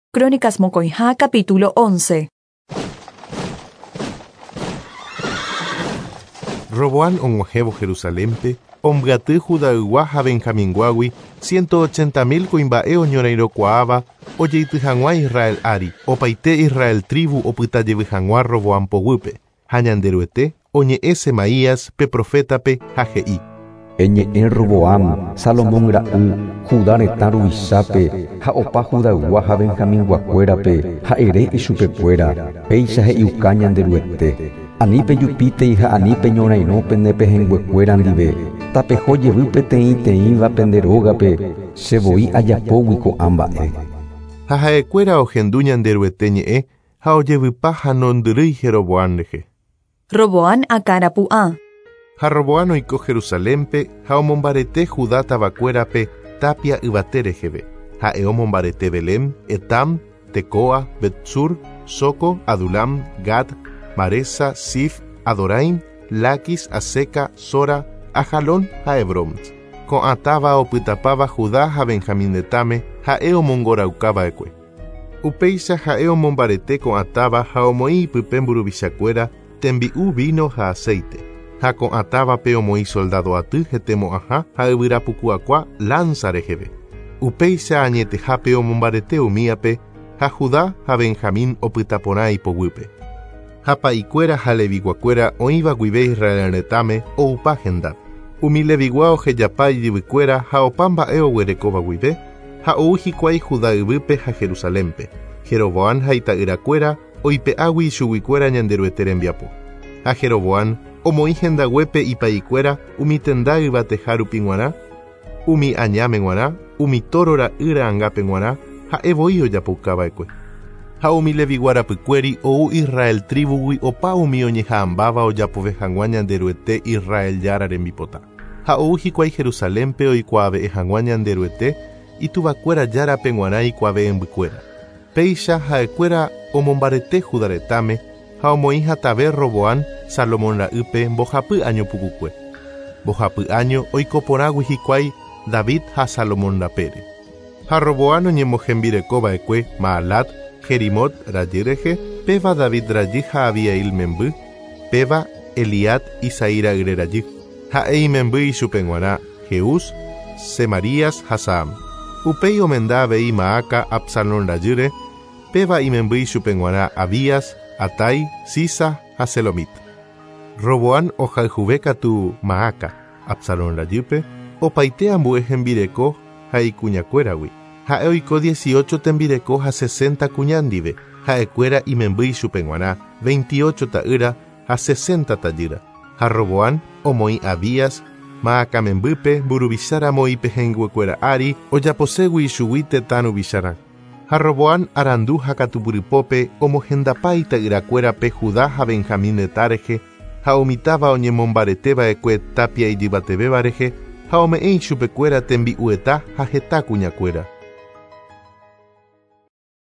Crónicas mokõiha capítulo 11. Roboam og̃uahẽvo Jerusalénpe, ombyaty Judaygua ha Benjaminguágui 180 mil kuimba'e oñorairõkuaáva ojeity hag̃ua Israel ári, opaite Israel tribu opyta jevy hag̃ua Roboam poguýpe. Ha Ñanderuete oñe'ẽ Semaías pe profétape ha he'i. Eñe'ẽ Roboam, Salomón ra'y, Judá retã ruvichápe ha opa Judaygua ha Benjaminguakuérape ha ere ichupekuéra, péicha he'iuka Ñanderuete. Ani pejupítei ha ani peñorairõ pende pehẽnguekuéra ndive, tapeho jevy peteĩteĩva pende rógape, che voi ajapógui ko'ã mba'e. Ha ha'ekuéra ohendu Ñanderuete ñe'ẽ ha ojevypa ha nondyrýi Jeroboam rehe. Roboam akãrapu'ã. Ha Roboam oiko Jerusalénpe ha omombarete Judá tavakuérape tápia yvate reheve. Ha'e omombarete Belén, Etam, Tecoa, Betsur, Soco, Adulam, Gad, Maresa, Sif, Adoraim, Laquis, Azeca, Sora, Ajalón ha Hebrón. Ko'ã táva opytapáva Judá ha Benjamín retãme ha'e omongoraukava'ekue. Upéicha ha'e omombarete ko'ã táva ha omoĩ ipype mburuvichakuéra tembi'u, vino ha aceite. Ha ko'ã távape omoĩ soldado aty hetemo'ãha ha yvyrapukuakua lanza reheve. Upéicha añetehápe omombarete umíape ha Judá ha Benjamín opyta porã ipoguýpe. Ha pa'ikuéra ha leviguakuéra oĩva guive Israel retãme oupa hendápe. Umi levigua ohejapa ijyvykuéra ha opa mba'e oguerekóva guive ha ou hikuái Judá yvýpe ha Jerusalénpe. Jeroboam ha ita'yrakuéra oipe'águi ichuguikuéra Ñanderuete rembiapo. Ha Jeroboam omoĩ hendaguépe ipa'ikuéra umi tenda yvateha rupi g̃uarã, umi añáme g̃uarã, umi tóro ra'y ra'angápe g̃uarã ha'e voi ojapoukava'ekue. Ha umi levigua rapykuéri ou Israel tribugui opa umi oñeha'ãmbáva ojapove hag̃ua Ñanderuete Israel Jára rembipota. Ha ou hikuái Jerusalénpe oikuaave'ẽ hag̃ua Ñanderuete ituvakuéra Járape g̃uarã ikuave'ẽmbykuéra. Péicha ha'ekuéra omombarete Judá retãme ha omoĩ hatave Roboam Salomón ra'ýpe mbohapy año pukukue. Mbohapy año oiko porãgui hikuái David ha Salomón rapére. Ha Roboam oñemohembirekova'ekue Maalat, Jerimot rajy rehe, péva David rajy ha Abiail memby, péva Eliad Isaí ra'yre rajy. Ha'e imemby ichupe g̃uarã Jeús, Semarías ha Saam. Upéi omenda avei Maaca Absalón rajýre, péva imemby ichupe g̃uarã Abías, Atai, Sisa ha Selomit. Roboam ohayhuve katu Maaca, Absalón rajýpe, opaite ambue hembireko ha ikuñakuéragui. Ha'e oiko 18 tembireko ha 60 kuña ndive, ha'ekuéra imemby ichupe g̃uarã 28 ta'ýra ha 60 tajýra. Ha Roboam omoĩ Abías, Maaca membýpe mburuvicháramo ipehẽnguekuéra ári ojaposégui ichugui tetã ruvicharã. Ha Roboam arandu ha katupyrypópe omohendapa ita'yrakuérape Judá ha Benjamín retã rehe ha umi táva oñemombareteva'ekue tapia ijyvatevéva rehe ha ome'ẽ ichupekuéra tembi'ueta ha heta kuñakuéra.